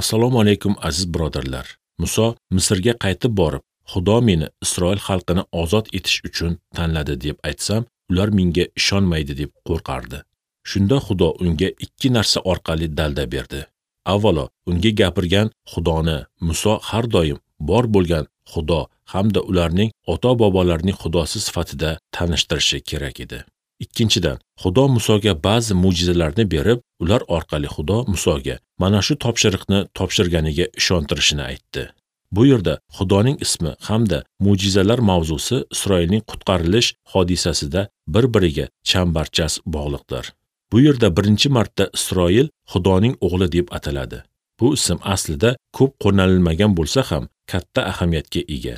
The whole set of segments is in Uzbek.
Assalomu alaykum aziz birodarlar. Muso Misrga qaytib borib, Xudo meni Isroil xalqini ozod etish uchun tanladi deb aytsam, ular menga ishonmaydi deb qo'rqardi. Shunda Xudo unga ikki narsa orqali dalda berdi. Avvalo, unga gapirgan Xudoni Muso har doim bor bo'lgan Xudo hamda ularning ota-bobolarining Xudosi sifatida tanishtirishi kerak edi. Ikkinchidan, Xudo Musoga ba'zi mo'jizalarni berib, ular orqali Xudo Musoga mana shu topshiriqni topshirganiga ishontirishini aytdi. Bu yerda Xudoning ismi hamda mo'jizalar mavzusi Isroilning qutqarilish hodisasida bir-biriga chambarchas bog'liqdir. Bu yerda birinchi marta Isroil Xudoning o'g'li deb ataladi. Bu ism aslida ko'p qo'llanilmagan bo'lsa ham katta ahamiyatga ega.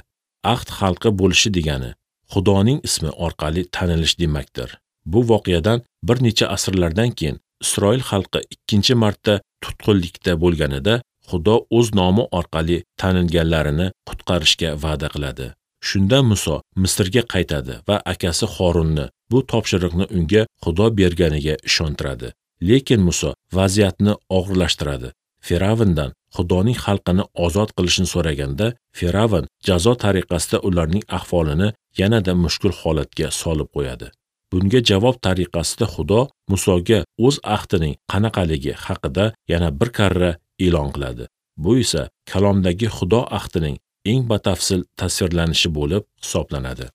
Ahd xalqi bo'lishi degani Xudoning ismi orqali tanilish demakdir. Bu voqeadan bir necha asrlardan keyin Isroil xalqi ikkinchi marta tutqunlikda bo'lganida Xudo o'z nomi orqali tanilganlarini qutqarishga va'da qiladi. Shunda Muso Misrga qaytadi va akasi Xorunni bu topshiriqni unga Xudo berganiga ishontiradi. Lekin Muso vaziyatni og'irlashtiradi. Firavndan Xudoning xalqini ozod qilishini so'raganda, Firavn jazo tariqasida ularning ahvolini yanada mushkul holatga solib qo'yadi. Bunga javob tariqasida Xudo Musoga o'z ahdining qanaqaligi haqida yana bir karra e'lon qiladi. Bu esa kalomdagi Xudo ahdining eng batafsil tasvirlanishi bo'lib hisoblanadi.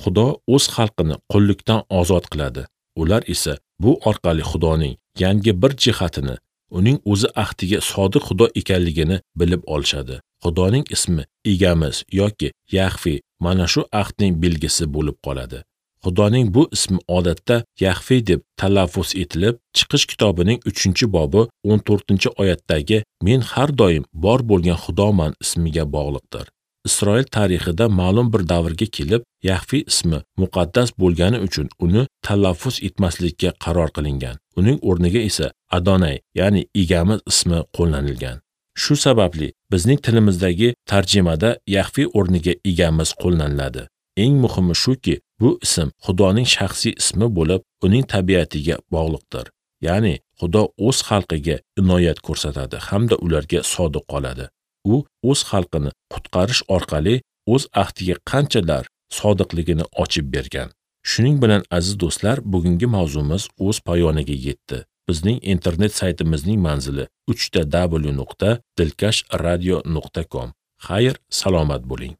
Xudo o'z xalqini qullikdan ozod qiladi. Ular esa bu orqali Xudoning yangi bir jihatini, uning o'zi ahdiga sodiq Xudo ekanligini bilib olishadi. Xudoning ismi Egamiz yoki Yahve mana shu ahdning belgisi bo'lib qoladi. Xudoning bu ismi odatda Yahve deb talaffuz etilib, Chiqish kitobining 3-bobi 14-oyatdagi Men har doim bor bo'lgan Xudoman ismiga bog'liqdir. Isroil tarixida ma'lum bir davrga kelib, Yahve ismi muqaddas bo'lgani uchun uni talaffuz etmaslikka qaror qilingan. Uning o'rniga esa Adonay, ya'ni Egamiz ismi qo'llanilgan. Shu sababli bizning tilimizdagi tarjimada Yahve o'rniga Egamiz qo'llaniladi. Eng muhimi shuki, bu ism Xudoning shaxsiy ismi bo'lib, uning tabiatiga bog'liqdir. Ya'ni Xudo o'z xalqiga inoyat ko'rsatadi hamda ularga sodiq qoladi. U o'z xalqini qutqarish orqali o'z ahdiga qanchalar sodiqligini ochib bergan. Shuning bilan aziz do'stlar, bugungi mavzumiz o'z poyoniga yetdi. Bizning internet saytimizning manzili www.dilkashradio.com. Xayr, salomat bo'ling.